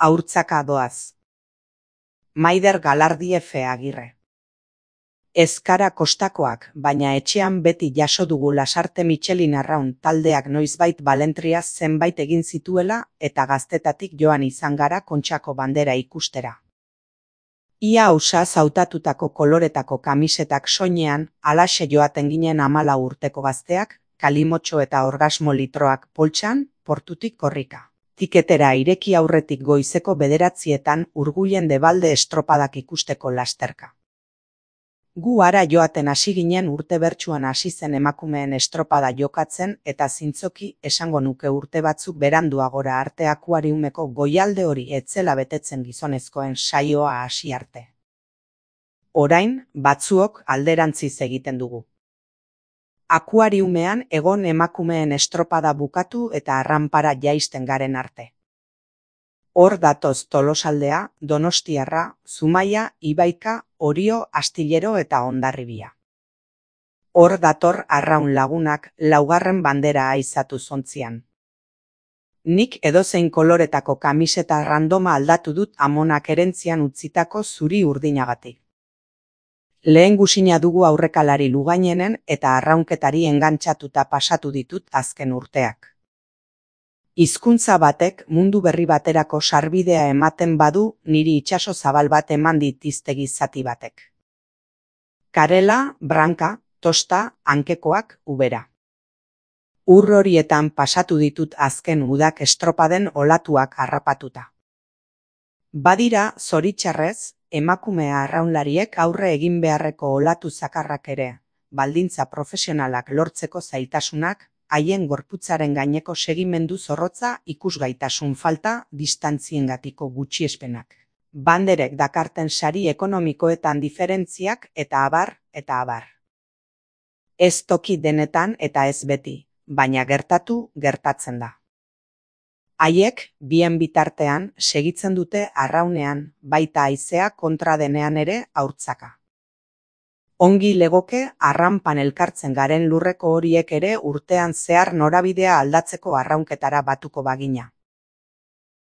Haurtzaka doaz. Maider Galardiefe Agirre. Ez gara kostakoak, baina etxean beti jaso dugu Lasarte Michelin Arraun taldeak noizbait Balentriaz zenbait egin zituela eta gaztetatik joan izan gara Kontxako bandera ikustera. Ia ausaz hautatutako koloretako kamisetak soinean, halaxe joaten ginen 14 urteko gazteak, kalimotxo eta orgasmo litroak poltsan, portutik korrika. Tiketera ireki aurretik goizeko 9:00 Urgullen Debalde estropadak ikusteko lasterka. Gu ara joaten hasi ginen urte bertsuan hasi zen emakumeen estropada jokatzen eta zintzoki esango nuke urte batzuk beranduagora arte akuariumeko goialde hori etzela betetzen gizonezkoen saioa hasi arte. Orain, batzuok alderantziz egiten dugu. Akuariumean egon emakumeen estropada bukatu eta arranpara jaisten garen arte. Hor datoz Tolosaldea, Donostiarra, Zumaia, Ibaika, Orio, Astillero eta Hondarribia. Hor dator Arraun lagunak 4. bandera aizatu zontzian. Nik edozein koloretako kamiseta randoma aldatu dut amonak erentzian utzitako zuri urdinagatik. Lehen gusina dugu aurrekalari Lugainenen eta arraunketari engantxatuta pasatu ditut azken urteak. Hizkuntza batek mundu berri baterako sarbidea ematen badu niri itsaso zabal bat eman dit hiztegi zati batek. Karela, branka, tosta, hankekoak, ubera. Ur horietan pasatu ditut azken udak estropaden olatuak harrapatuta. Badira, zoritxarrez, emakume arraunlariek aurre egin beharreko olatu zakarrak ere, baldintza profesionalak lortzeko zailtasunak, haien gorputzaren gaineko segimendu zorrotza, ikusgaitasun falta, distantziengatiko gutxiespenak. Banderek dakarten sari ekonomikoetan diferentziak eta abar, eta abar. Ez toki denetan eta ez beti, baina gertatzen da. Haiek, bien bitartean, segitzen dute arraunean, baita haizea kontra denean ere haurtzaka. Ongi legoke arranpan elkartzen garen lurreko horiek ere urtean zehar norabidea aldatzeko arraunketara batuko bagina.